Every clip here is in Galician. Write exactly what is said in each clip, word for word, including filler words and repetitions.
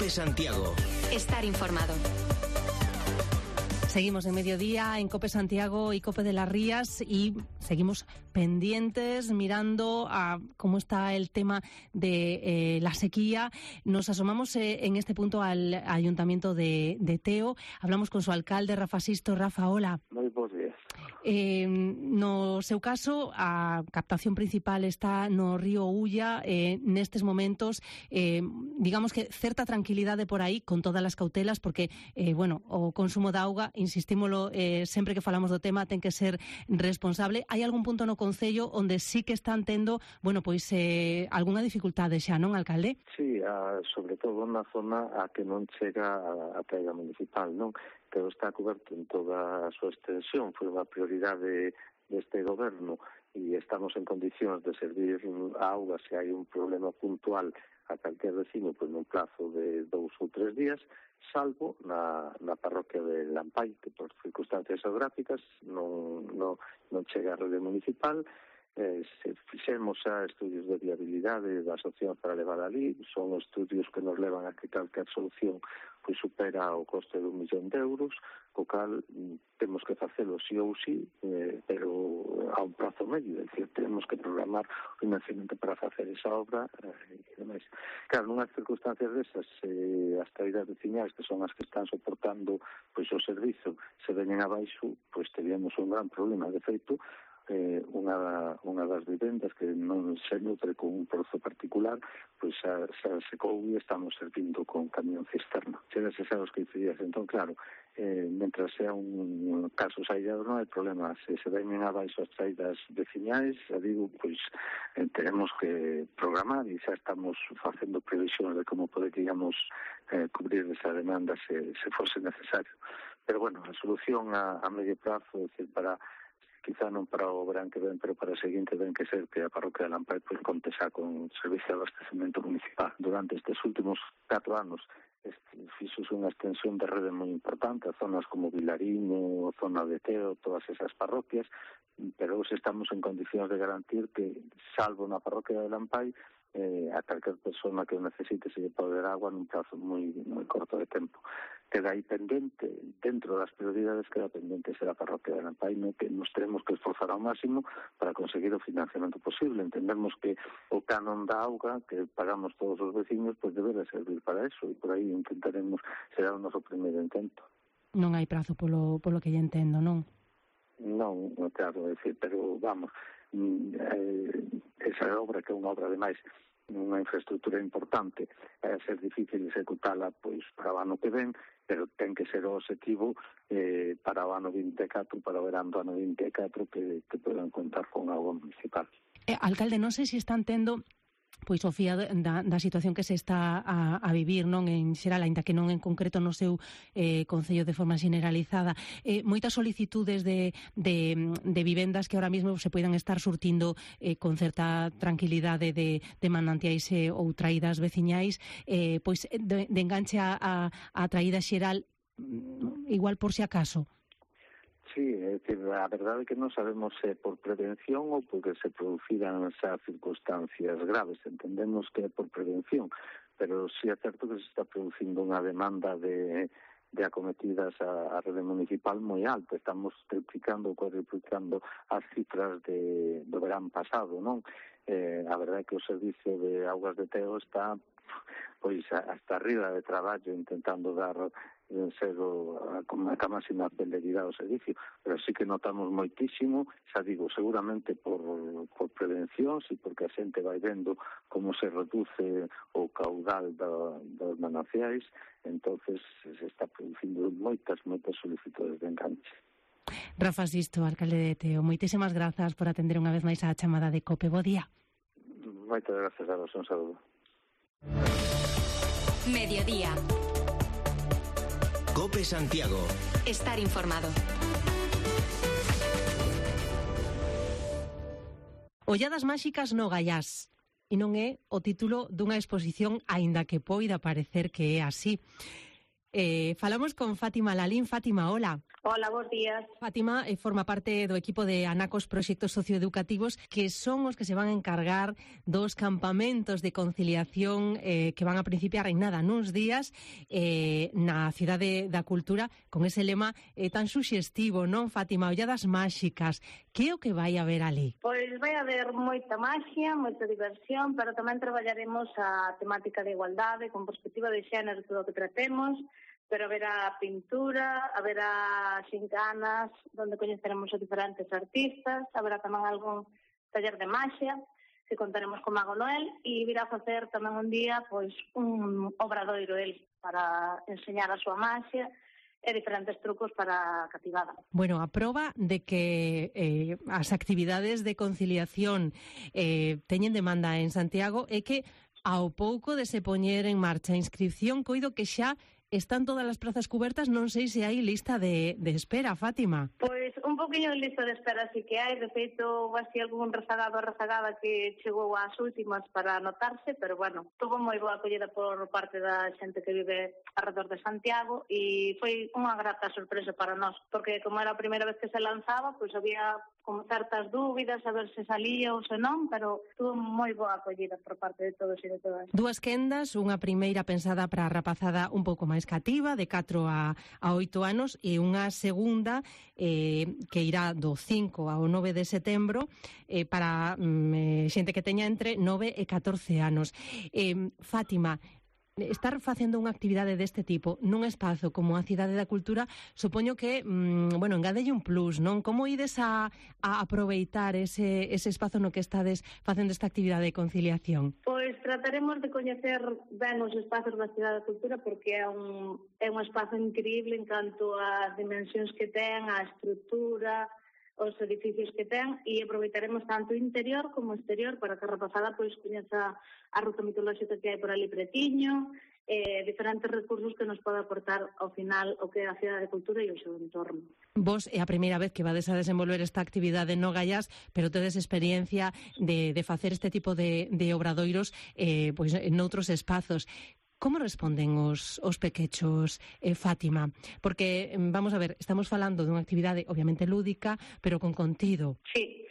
COPE Santiago. Estar informado. Seguimos en Mediodía en COPE Santiago y COPE de las Rías y seguimos pendientes mirando a cómo está el tema de eh, la sequía. Nos asomamos eh, en este punto al Ayuntamiento de, de Teo. Hablamos con su alcalde, Rafa Sisto. Rafa, hola. Moi bons días. Eh, no seu caso, a captación principal está no río Ulla. Eh, nestes momentos, eh, digamos que certa tranquilidade por aí, con todas as cautelas, porque, eh, bueno, o consumo de auga, insistímolo, eh, sempre que falamos do tema, ten que ser responsable. Hai algún punto no Concello onde sí que están tendo, bueno, pois, eh, algunha dificultade xa, non, alcalde? Sí, a, sobre todo na zona a que non chega a, a traiga municipal, non? Que está coberto en toda a súa extensión, foi unha prioridade deste goberno e estamos en condicións de servir a auga se hai un problema puntual a calquer vecino pois nun plazo de dous ou tres días, salvo na, na parroquia de Lampay, que por circunstancias geográficas non, non, non chega a rede municipal. Eh, se fixemos xa estudios de viabilidade das opcións para levar ali, son estudios que nos levan a que calquer solución pois supera o coste de un millón de euros, co cal temos que facelo sí ou sí, eh, pero a un prazo medio, é dicir, temos que programar o financiamento para facer esa obra eh, e demais. Claro, nunhas circunstancias desas, eh, as traídas veciñais, que son as que están soportando pois o servizo, se veñen abaixo, pois teríamos un gran problema. De feito, Eh, unha, unha das vivendas que non se nutre con un pozo particular, pois xa, xa secou e estamos servindo con camión cisterna. Chegas a os quince días, entón claro, eh, mentras sea un caso aislados non hai problema. Se se veñen abaixo as traídas veciñais, xa digo, pois eh, tenemos que programar e xa estamos facendo previsións de como poderíamos eh, cubrir esa demanda se, se fose necesario. Pero bueno, a solución a, a medio prazo, é dicir, para quizá non para o verán que ven, pero para o seguinte ven que ser que a parroquia de Lampay pois conte xa con servicio de abastecemento municipal. Durante estes últimos catro anos fixose unha extensión de rede moi importante a zonas como Vilariño, zona de Teo, todas esas parroquias, pero hoxe estamos en condicións de garantir que, salvo na parroquia de Lampay, eh, a calquer persona que o necesite se lle pode dar agua nun prazo moi, moi corto de tempo. Queda aí pendente, dentro das prioridades queda pendente ser a parroquia de Lampay, no que nos tenemos que esforzar ao máximo para conseguir o financiamento posible. Entendemos que o canon da auga que pagamos todos os vecinos pois debe de servir para eso e por aí intentaremos, será o noso primeiro intento. Non hai prazo polo, polo que lle entendo, non? Non, claro, é dicir, pero vamos, eh, esa obra que é unha obra de máis unha infraestructura importante, é ser difícil executala pois para o ano que ven, pero ten que ser o objetivo eh, para o ano vinte e catro, para o verán do ano vinte e catro que, que poden contar con agua municipal. Eh, alcalde, non sei se están tendo pois o fía da, da situación que se está a, a vivir, non, en xeral, aínda que non en concreto no seu eh, concello de forma generalizada, eh, moitas solicitudes de, de, de vivendas que ahora mesmo se poidan estar surtindo eh, con certa tranquilidade de, de manantiais eh, ou traídas veciñais, eh, pois de, de enganche a, a, a traída xeral, igual por si acaso. Sí, é dicir, a verdade é que non sabemos se por prevención ou porque se produciran xa circunstancias graves. Entendemos que é por prevención, pero sí é certo que se está producindo unha demanda de, de acometidas a, a rede municipal moi alta. Estamos triplicando ou cuadriplicando as cifras de, do verán pasado, non? Eh, a verdade é que o servicio de augas de Teo está pois hasta arriba de traballo intentando dar ser o, a, a máxima celeridade ao servicio, pero sí que notamos moitísimo, xa digo, seguramente por, por prevención, sí, porque a xente vai vendo como se reduce o caudal da, dos mananciais, entonces se está producindo moitas, moitas solicitudes de enganche. Rafa Sisto, alcalde de Teo, moitísimas grazas por atender unha vez máis a chamada de COPE. Bo día. Moitas grazas a vos, un saludo. Mediodía. COPE Santiago. Estar informado. Olladas máxicas no Gaiás. E non é o título dunha exposición, aínda que poida parecer que é así. Eh, falamos con Fátima Lalín. Fátima, hola. Hola, bons días. Fátima eh, forma parte do equipo de Anacos Proxectos Socioeducativos, que son os que se van a encargar dos campamentos de conciliación eh, que van a principiar en nada nuns días eh, na Cidade da Cultura, con ese lema eh, tan suxestivo, non, Fátima? Olladas máxicas. Que é o que vai haber ali? Pois vai haber moita maxia, moita diversión, pero tamén traballaremos a temática de igualdade, con perspectiva de xénero, todo o que tratemos, pero haberá pintura, haberá xincanas, onde coñeceremos a diferentes artistas, haberá tamén algún taller de maxia, que contaremos con Mago Noel, e virá a facer tamén un día pois un obradoiro el para enseñar a súa maxia e diferentes trucos para a cativada. Bueno, a proba de que eh, as actividades de conciliación eh, teñen demanda en Santiago é que ao pouco de se poñer en marcha a inscripción, coido que xa están todas as prazas cubertas, non sei se hai lista de, de espera, Fátima. Pois un poquinho de lista de espera sí que hai, de feito, así algún rezagado ou rezagada que chegou ás últimas para anotarse, pero bueno, tuvo moi boa acollida por parte da xente que vive alrededor de Santiago e foi unha grata sorpresa para nós, porque como era a primeira vez que se lanzaba, pois había como certas dúbidas a ver se salía ou se non, pero tuvo moi boa acollida por parte de todos e de todas. Dúas quendas, unha primeira pensada para a rapazada un pouco máis cativa, de catro a oito anos, e unha segunda eh, que irá do cinco ao nove de setembro eh, para mm, xente que teña entre nove e catorce anos. Eh, Fátima, estar facendo unha actividade deste tipo nun espazo como a Cidade da Cultura, supoño que, mmm, bueno, engadelle un plus, non? Como ides a, a aproveitar ese, ese espazo no que estades facendo esta actividade de conciliación? Pois trataremos de coñecer ben os espazos da Cidade da Cultura, porque é un, é un espazo increíble en canto ás dimensións que ten, a estrutura, os edificios que ten, e aproveitaremos tanto interior como exterior para que a rapazada pois coñeza a ruta mitolóxica que hai por ali pretiño, eh, diferentes recursos que nos pode aportar ao final o que é a Cidade de Cultura e o seu entorno. Vos é a primeira vez que vades a desenvolver esta actividade no Gaiás, pero tedes experiencia de, de facer este tipo de, de obradoiros eh, pois, en outros espazos. Como responden os, os pequechos, eh, Fátima? Porque, vamos a ver, estamos falando dunha actividade obviamente lúdica, pero con contido. Sí,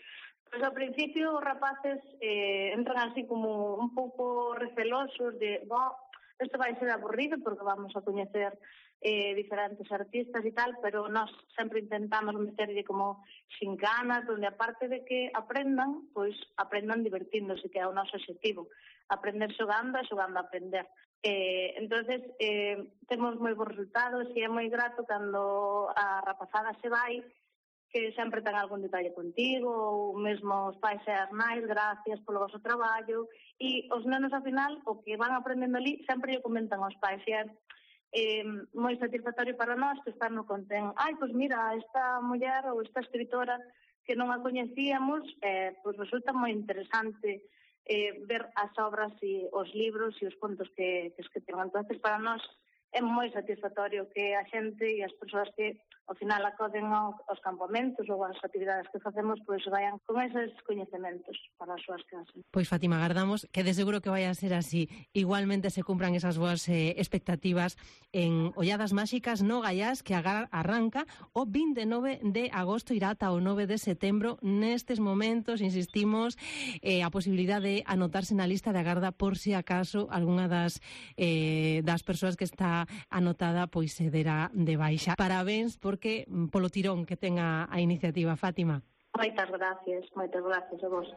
pois ao principio os rapaces eh, entran así como un pouco recelosos de, bo, isto vai ser aburrido porque vamos a coñecer eh, diferentes artistas e tal, pero nós sempre intentamos meterlle como xincanas, onde aparte de que aprendan, pois aprendan divertíndose, que é o noso objetivo. Aprender xogando e xogando a aprender. Eh, entonces eh, temos moi bons resultados e é moi grato cando a rapazada se vai, que sempre ten algún detalle contigo, ou mesmo os pais e as nais, gracias polo vosso traballo, e os nenos ao final o que van aprendendo ali sempre lle comentan aos pais, e é eh, moi satisfactorio para nós que están no conten, ai, pois mira, esta muller ou esta escritora que non a coñecíamos, eh, pois resulta moi interesante Eh, ver as obras e os libros e os contos que, que escriben. Entonces, para nós é moi satisfactorio que a xente e as persoas que ao final acoden aos campamentos ou as actividades que facemos, pois vayan con eses coñecementos para as súas casas. Pois, Fátima, agardamos que de seguro que vai a ser así. Igualmente se cumpran esas boas eh, expectativas en Olladas Máxicas no Gaiás, que arranca o vinte e nove de agosto, irá ata o nove de setembro. Nestes momentos, insistimos, eh, a posibilidade de anotarse na lista de agarda por si acaso algunha das, eh, das persoas que está anotada pois se derá de baixa. Parabéns porque polo tirón que ten a, a iniciativa, Fátima. Moitas gracias, moitas gracias a vos.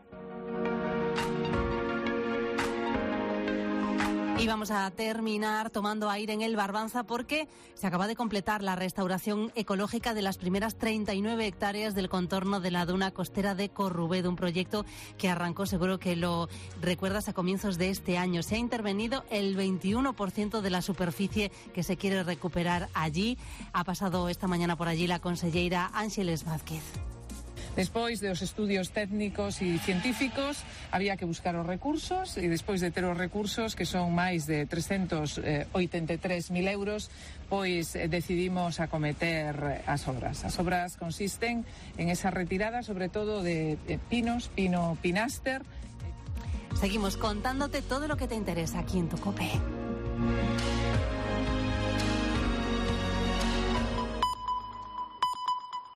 Y vamos a terminar tomando aire en el Barbanza porque se acaba de completar la restauración ecológica de las primeras treinta y nueve hectáreas del contorno de la duna costera de Corrubedo, un proyecto que arrancó, seguro que lo recuerdas, a comienzos de este año. Se ha intervenido el veintiuno por ciento de la superficie que se quiere recuperar allí. Ha pasado esta mañana por allí la conselleira Ángeles Vázquez. Despois de os estudios técnicos e científicos había que buscar os recursos e despois de ter os recursos, que son máis de trescentos oitenta e tres mil euros, pois eh, decidimos acometer as obras. As obras consisten en esa retirada sobre todo de eh, pinos, pino pinaster. Seguimos contándote todo lo que te interesa aquí en Tu Cope.